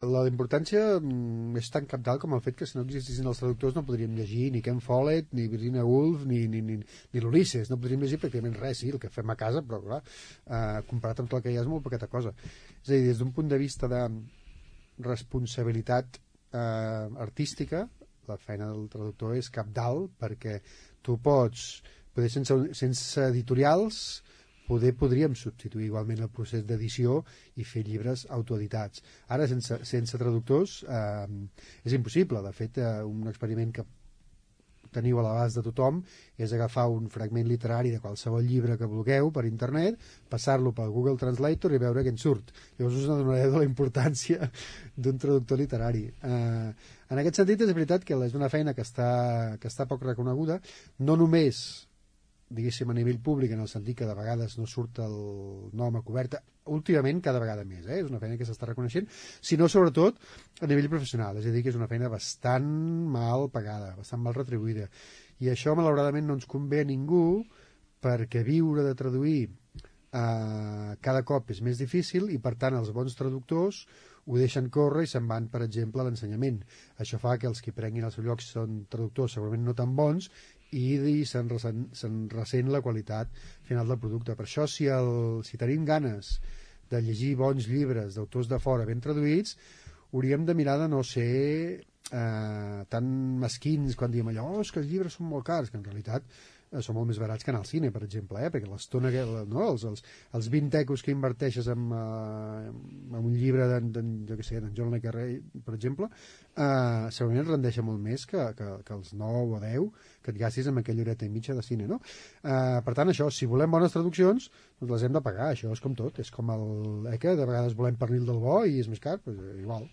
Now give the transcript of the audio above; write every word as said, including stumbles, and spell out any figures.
La importància mm, és tan cabdal com el fet que si no existissin els traductors no podríem llegir ni Ken Follett, ni Virginia Woolf, ni, ni, ni, ni l'Ulisses. No podríem llegir pràcticament res, sí, el que fem a casa, però clar, eh, comparat amb tot el que hi ha és molt poqueta cosa. És a dir, des d'un punt de vista de responsabilitat eh, artística, la feina del traductor és cabdal, perquè tu pots, poder sense, sense editorials, poder podríem substituir igualment el procés d'edició i fer llibres autoeditats. Ara, sense, sense traductors, eh, és impossible. De fet, eh, un experiment que teniu a l'abast de tothom és agafar un fragment literari de qualsevol llibre que vulgueu per internet, passar-lo pel Google Translator i veure què en surt. Llavors us adonareu de la importància d'un traductor literari. Eh, en aquest sentit, és veritat que és una feina que està, que està poc reconeguda, no només diguéssim a nivell públic, en el sentit que de vegades no surt el nom a coberta, últimament cada vegada més, eh? És una feina que s'està reconeixent, sinó sobretot a nivell professional, és a dir, que és una feina bastant mal pagada, bastant mal retribuïda, i això malauradament no ens convé a ningú, perquè viure de traduir eh, cada cop és més difícil i per tant els bons traductors ho deixen córrer i se'n van, per exemple, a l'ensenyament. Això fa que els que prenguin el seu lloc són traductors segurament no tan bons i se'n ressent, se'n ressent la qualitat final del producte. Per això, si, el, si tenim ganes de llegir bons llibres d'autors de fora ben traduïts, hauríem de mirar de no ser eh, tan mesquins quan diem allò, oh, és que els llibres són molt cars, que en realitat eh, són molt més barats que anar al cine, per exemple, eh? Perquè l'estona que, no? els, els, els vint ecos que inverteixes en, eh, en un llibre d'en, d'en, jo què sé, d'en John le Carré, per exemple, eh, segurament et rendeixa molt més que, que, que els nou o deu que et gastis amb aquella horeta i mitja de cine, no? Eh, per tant, això, si volem bones traduccions, doncs les hem de pagar, això és com tot, és com el, eh, que de vegades volem pernil del bo i és més car, doncs igual.